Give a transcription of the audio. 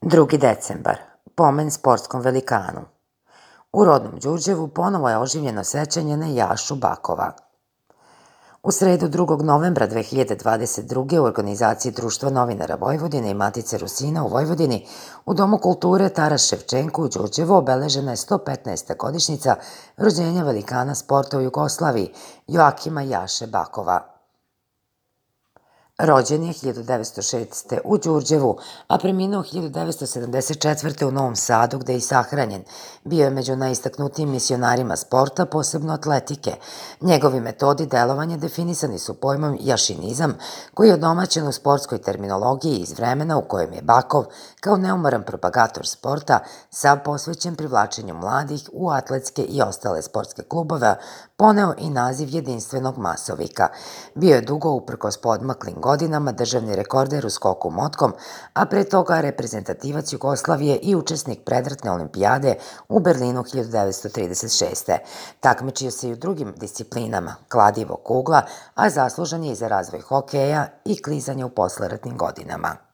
2. decembar. Pomen sportskom velikanu. U rodnom Đurđevu ponovo je oživljeno sećanje na Jašu Bakova. U sredu 2. novembra 2022. u organizaciji Društva novinara Vojvodine i Matice Rusina u Vojvodini u Domu kulture Taras Ševčenko u Đurđevu obeležena je 115. godišnjica rođenja velikana sporta u Jugoslaviji Joakima Jaše Bakova. Rođen je 1906. u Đurđevu, a preminuo 1974. u Novom Sadu, gde je i sahranjen. Bio je među najistaknutijim misionarima sporta, posebno atletike. Njegovi metodi delovanja definisani su pojmom jašinizam, koji je odomaćen u sportskoj terminologiji iz vremena u kojem je Bakov, kao neumoran propagator sporta, sav posvećen privlačenju mladih u atletske i ostale sportske klubove, poneo i naziv jedinstvenog masovika. Bio je dugo, uprkos podmaklim godinama, državni rekorder u skoku motkom, a pre toga reprezentativac Jugoslavije i učesnik predratne olimpijade u Berlinu 1936. Takmičio se i u drugim disciplinama, kladivo, kugla, a zaslužan je i za razvoj hokeja i klizanja u posleratnim godinama.